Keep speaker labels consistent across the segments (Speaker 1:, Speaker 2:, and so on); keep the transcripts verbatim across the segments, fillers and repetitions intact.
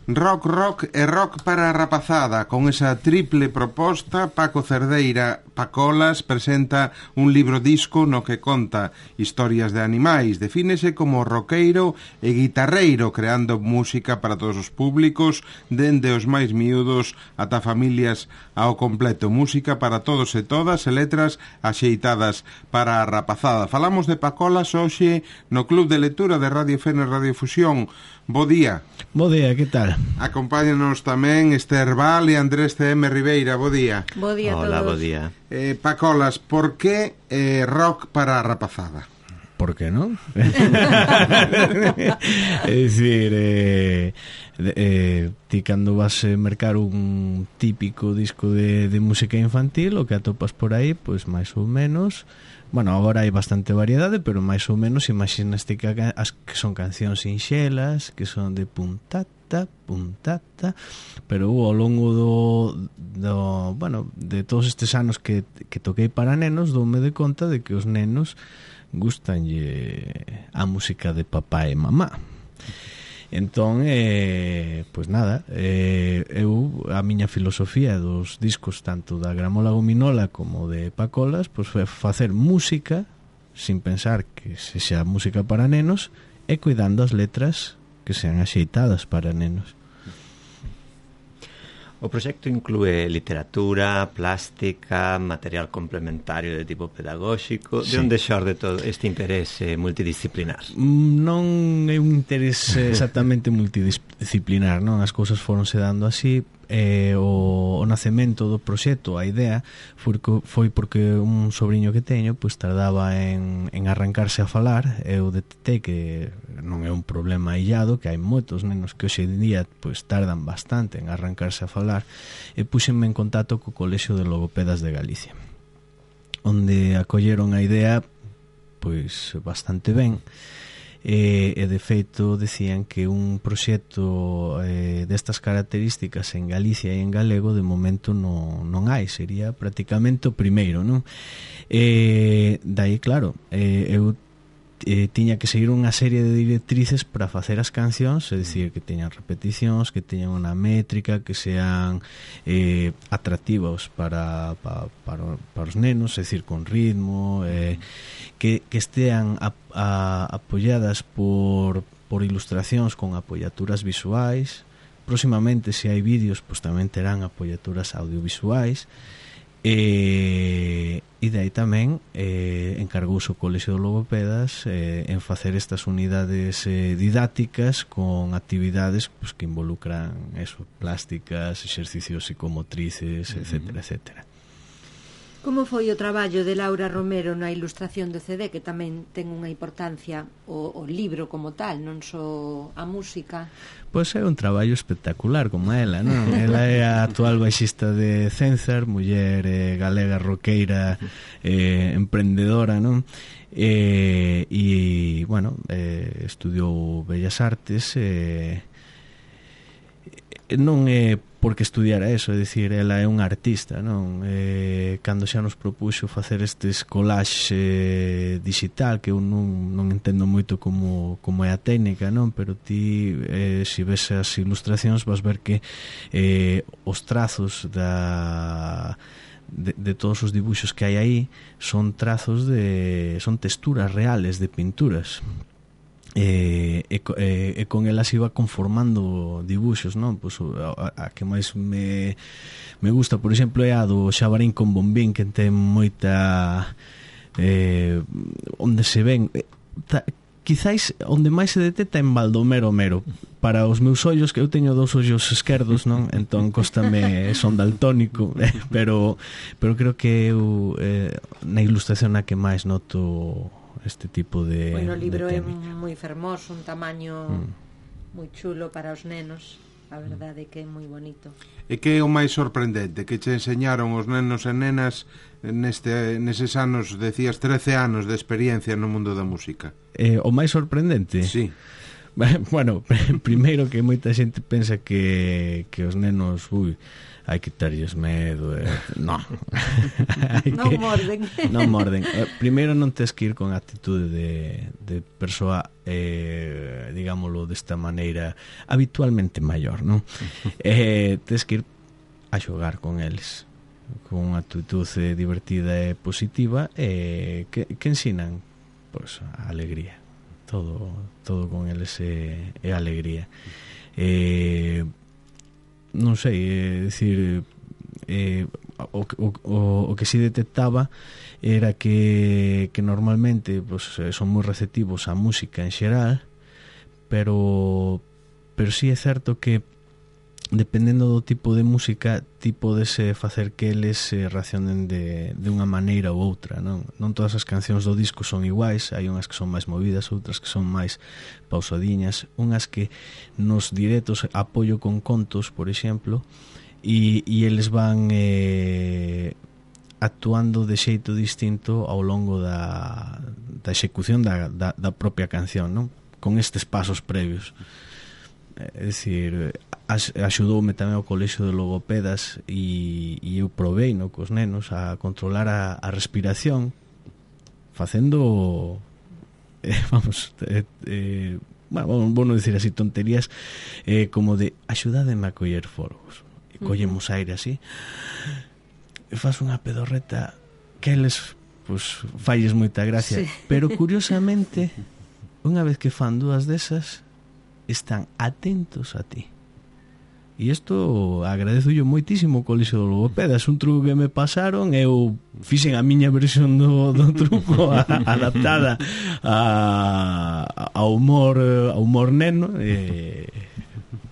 Speaker 1: Rock, rock e rock para a rapazada. Con esa triple proposta, Paco Cerdeira Pacolas presenta un libro disco no que conta historias de animais. Defínese como roqueiro e guitarreiro, creando música para todos os públicos, dende os máis miúdos ata familias ao completo. Música para todos e todas e letras axeitadas para a rapazada. Falamos de Pacolas hoxe no Club de Lectura de Radio Fene Radio Fusión. Bo día.
Speaker 2: Bo día, que tal?
Speaker 1: Acompáñanos tamén Esther Val e Andrés C M Ribeira. Bo día.
Speaker 3: Bo día a todos.
Speaker 4: Hola, bo día.
Speaker 1: Eh, Pacolas, por que eh, rock para a rapazada?
Speaker 2: Por que non? É dicir, eh, eh, ti cando vas a mercar un típico disco de, de música infantil, o que atopas por aí, pois máis ou menos. Bueno, agora hai bastante variedade, pero máis ou menos imaginaste que, as, que son cancións sinxelas, que son de puntata, puntata, pero ao longo do, do bueno, de todos estes anos que, que toquei para nenos, doume de conta de que os nenos gustanlle a música de papá e mamá. Entón, eh, pois nada, eh, eu, a miña filosofía dos discos tanto da Gramola Gominola como de Pacolas, pois foi facer música sin pensar que sexa música para nenos e cuidando as letras que sean axeitadas para nenos.
Speaker 4: O proxecto inclúe literatura, plástica, material complementario de tipo pedagóxico. Sí. De onde xorde todo este interese multidisciplinar?
Speaker 2: Non é un interese exactamente multidisciplinar, non? As cousas foronse dando así. Eh, o, o nacemento do proxecto, a idea foi, foi porque un sobrinho que teño pois tardaba en, en arrancarse a falar. Eu detectei que non é un problema illado, que hai moitos nenos que hoxe en día pois tardan bastante en arrancarse a falar, e puxenme en contacto co Colexio de Logopedas de Galicia, onde acolleron a idea pois bastante ben. E, e de feito decían que un proxecto eh, destas características en Galicia e en galego de momento non, non hai, sería prácticamente o primeiro, non? E dai, claro, eh, eu eh, tiña que seguir unha serie de directrices para facer as cancións, é dicir, que teñan repeticións, que teñan unha métrica, que sean eh, atractivos para, para, para, para os nenos, é dicir, con ritmo, eh, que, que estean a, a, apoiadas por, por ilustracións con apoiaturas visuais. Próximamente, se hai vídeos, pois tamén terán apoiaturas audiovisuais. E, e de aí tamén eh, encargouse o Colexio de Logopedas eh, en facer estas unidades eh, didácticas con actividades pues, que involucran eso, plásticas, exercicios psicomotrices, uh-huh. etcétera, etcétera.
Speaker 3: Como foi o traballo de Laura Romero na ilustración do C D, que tamén ten unha importancia o, o libro como tal, non só a música?
Speaker 2: Pois é un traballo espectacular como ela, non? Ela é a actual baixista de Cenzar, muller eh, galega, roqueira, eh, emprendedora, non? E, e bueno, eh, estudiou Bellas Artes, eh, non é porque estudiara eso, é dicir, ela é unha artista, non? Eh, cando xa nos propuxo facer estes collages eh, digital, que eu non, non entendo moito como, como é a técnica, non? Pero ti, eh, se ves as ilustracións, vas ver que eh, os trazos da... De, de todos os dibuixos que hai aí son trazos de... son texturas reales de pinturas. E, e, e, e con elas iba conformando dibuxos, non? Pois a, a que máis me, me gusta, por exemplo, é a do Xabarín con Bombín, que ten moita eh, onde se ven ta, quizáis onde máis se detecta en Baldomero Mero. Para os meus ollos, que eu teño dous ollos esquerdos, non? Entón costame, son daltónico, pero pero creo que eu eh, na ilustración a que máis noto este tipo de...
Speaker 3: Bueno, o libro é moi fermoso, un tamaño mm. moi chulo para os nenos. A verdade é que é moi bonito.
Speaker 1: E que é o máis sorprendente? Que che enseñaron os nenos e nenas neste, neses anos, decías, trece anos de experiencia no mundo da música?
Speaker 2: Eh, o máis sorprendente?
Speaker 1: Sí.
Speaker 2: Bueno, primeiro que moita xente pensa que, que os nenos, ui, hai que tarlles medo, eh. No.
Speaker 3: Non que... morden.
Speaker 2: Non morden. Primeiro non tes que ir con actitude de, de persoa, eh, digámoslo desta maneira, habitualmente maior, non? Eh, tes que ir a xogar con eles con unha actitude divertida e positiva, e eh, que, que ensinan pois, a alegría. Todo, todo con eles é, é alegría. Eh, non sei, é dicir, eh, o, o, o, o que si detectaba era que, que normalmente pues, son moi receptivos á música en xeral, pero pero si sí é certo que dependendo do tipo de música ti podes eh, facer que eles eh, reaccionen de, de unha maneira ou outra, non? Non todas as cancións do disco son iguais, hai unhas que son máis movidas, outras que son máis pausadiñas, unhas que nos directos apoio con contos, por exemplo, e, e eles van eh, actuando de xeito distinto ao longo da, da execución da, da, da propia canción, non? Con estes pasos previos. É dicir, axudoume tamén ao colexio de logopedas e, e eu provei no, cos nenos a controlar a, a respiración facendo eh, vamos eh, eh, bueno, vou non dicir así tonterías eh, como de axudádeme a coller folgos e collemos aire así e faz unha pedorreta que eles pues, falles moita gracia, sí. Pero curiosamente unha vez que fan dúas desas están atentos a ti. E isto agradezo yo moitísimo o colexio de logopedas. Un truco que me pasaron, eu fixen a miña versión do, do truco a, adaptada a, a humor a humor neno, eh,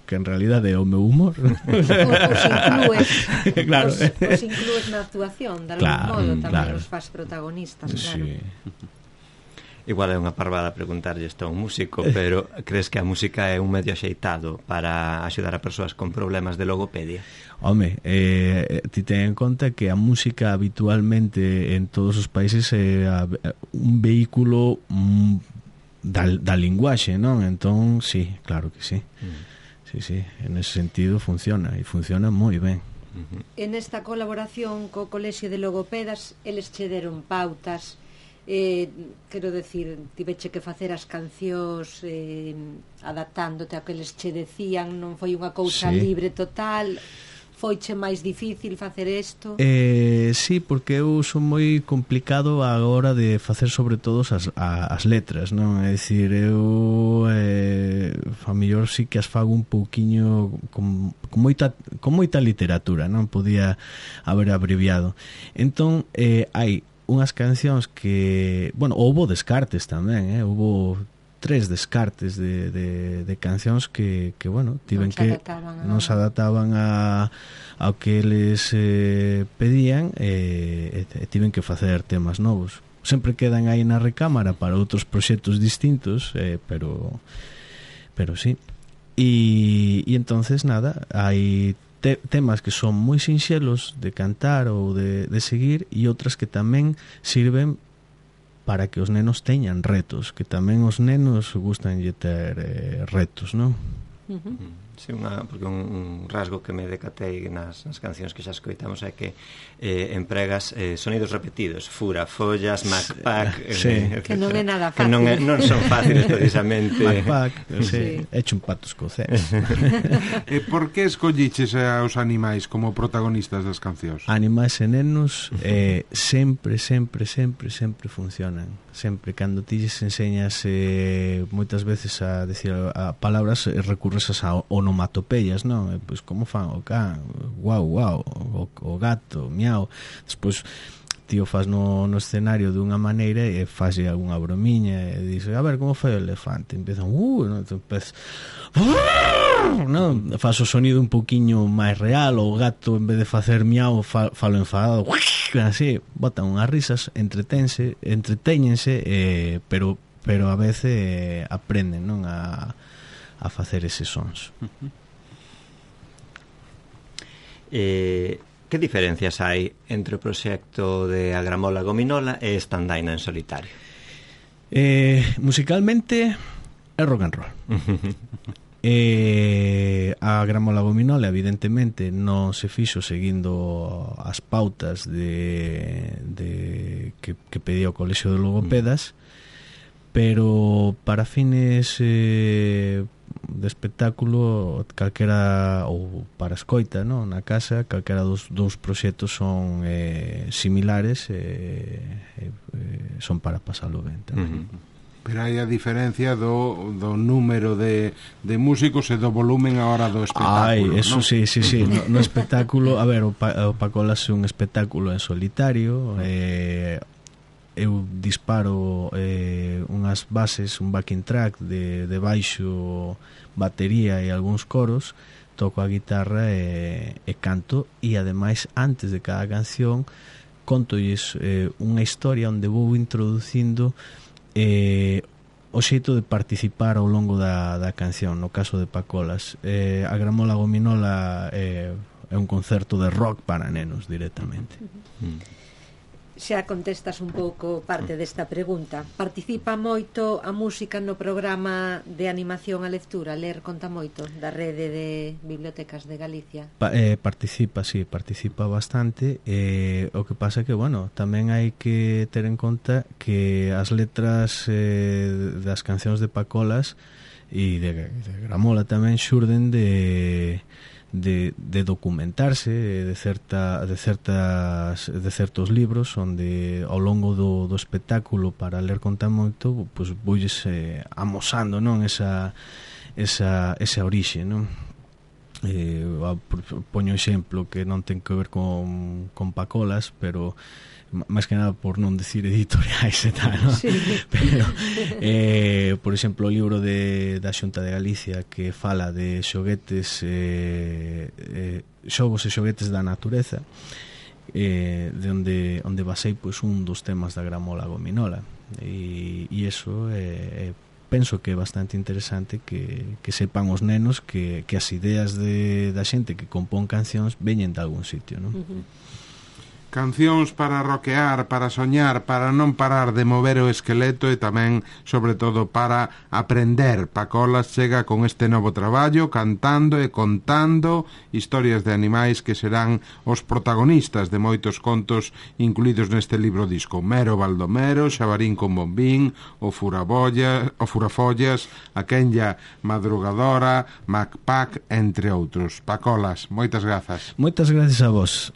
Speaker 2: que en realidade é o meu humor.
Speaker 3: Os inclues,
Speaker 2: claro.
Speaker 3: os, os inclues na actuación, de algún
Speaker 2: claro,
Speaker 3: modo tamén
Speaker 2: claro.
Speaker 3: Os faz protagonistas, claro.
Speaker 2: Sí.
Speaker 4: Igual é unha parvada preguntarlle isto a un músico, pero crees que a música é un medio axeitado para axudar a persoas con problemas de logopedia?
Speaker 2: Home, eh, ti ten en conta que a música habitualmente en todos os países é un vehículo mm, da, da linguaxe, non? Entón, sí, claro que sí. Mm. Sí, sí, en ese sentido funciona, e funciona moi ben.
Speaker 3: Uh-huh. En esta colaboración co Colexio de Logopedas, eles che deron pautas. Eh, quero decir, tiveche que facer as cancións eh, adaptándote a que eles che decían, non foi unha cousa sí. libre total, foiche máis difícil facer isto?
Speaker 2: Eh, sí, porque eu son moi complicado a hora de facer sobre todo as, a, as letras, non? É dicir, eu eh, a mellor sí que as fago un pouquiño con, con, moita, con moita literatura, non? Podía haber abreviado. Entón, eh, hai unhas cancións que, bueno, houbo descartes tamén, eh? Houbo tres descartes de, de, de cancións que, que bueno, tiven que non se adaptaban a ao que eles eh, pedían e, e tiven que facer temas novos. Sempre quedan aí na recámara para outros proxectos distintos, eh, pero pero sí. E, e entonces nada, hai Te, temas que son moi sinxelos de cantar ou de, de seguir, e outras que tamén sirven para que os nenos teñan retos, que tamén os nenos gustan de ter eh, retos, non?
Speaker 4: Uh-huh. Sí, unha, porque un, un rasgo que me decatei nas, nas cancións que xa escoitamos é que eh, empregas eh, sonidos repetidos, fura, follas, macpac,
Speaker 2: sí.
Speaker 4: eh,
Speaker 3: que non é nada
Speaker 4: que
Speaker 3: fácil,
Speaker 4: non, é, non son fáciles precisamente.
Speaker 2: Macpac, sí. Sí. Hecho un pato escocés.
Speaker 1: E por que escolliches aos animais como protagonistas das cancións?
Speaker 2: Animais e nenos eh, sempre, sempre, sempre, sempre funcionan. Sempre, cando ti lles enseñas eh, moitas veces a decir a, a palabras, eh, recurres a onomatopeyas, non? E, pois, como fan o can, guau, guau, o, o gato, miau. Despois, tío faz no, no escenario dunha maneira e faz algunha bromiña e dice, a ver, como fai o elefante? Empezan, uh, non? Entón, empez... non? Faz o sonido un poquinho máis real, o gato, en vez de facer miau, fa, falo enfadado, así, botan unhas risas, entretense, entretéñense, eh, pero pero a veces eh, aprenden, non, a a facer eses sons.
Speaker 4: Uh-huh. Eh, que diferencias hai entre o proxecto de Agramola Gominola e Estandaina en solitario?
Speaker 2: Eh, musicalmente é rock and roll. E a Gramola Gominola evidentemente non se fixo seguindo as pautas de, de que, que pedía o Colexio de Logopedas, pero para fines eh, de espectáculo calquera, ou para escoita, no? Na casa, calquera dos, dos proxectos son eh, similares e eh, eh, son para pasalo ben tamén. Uh-huh.
Speaker 1: Pero hai a diferencia do, do número de, de músicos e do volumen a hora do espectáculo.
Speaker 2: Ai, eso
Speaker 1: ¿no?
Speaker 2: sí, sí, sí. No, no espectáculo, a ver, o, pa, o Pacolas é un espectáculo en solitario. Eh, eu disparo eh, unhas bases, un backing track de, de baixo, batería e algúns coros, toco a guitarra e, e canto, e ademais antes de cada canción contolles eh, unha historia onde vou introducindo eh, o xeito de participar ao longo da, da canción. No caso de Pacolas, eh, a Gramola Gominola eh, é un concerto de rock para nenos directamente.
Speaker 3: Mm. Xa contestas un pouco parte desta pregunta. Participa moito a música no programa de animación a lectura? Ler conta moito da rede de bibliotecas de Galicia?
Speaker 2: Pa, eh, participa, sí, participa bastante. Eh, o que pasa que, bueno, tamén hai que ter en conta que as letras eh, das cancións de Pacolas e de, de Gramola tamén xurden de... De, de documentarse de certa de certas de certos libros onde ao longo do, do espectáculo para ler conta moito, pois voulles eh, amosando, non, esa esa esa orixe, non? Eh, poño exemplo que non ten que ver con, con Pacolas, pero máis que nada por non decir editoriais e tal, ¿no? Sí. Pero, eh, por exemplo, o libro de, da Xunta de Galicia que fala de xoguetes eh, eh, xogos e xoguetes da natureza, eh, de onde, onde basei pois, un dos temas da Gramola Gominola, e, e eso é eh, penso que é bastante interesante que, que sepan os nenos que, que as ideas de, da xente que compón cancións veñen de algún sitio, non?
Speaker 3: Uh-huh.
Speaker 1: Cancións para roquear, para soñar, para non parar de mover o esqueleto e tamén, sobre todo, para aprender. Pacolas chega con este novo traballo, cantando e contando historias de animais que serán os protagonistas de moitos contos incluídos neste libro disco. Mero Baldomero, Xabarín con Bombín, o Furabollas, o Furafollas, a Quenya Madrugadora, Macpac, entre outros. Pacolas, moitas grazas.
Speaker 2: Moitas grazas a vos.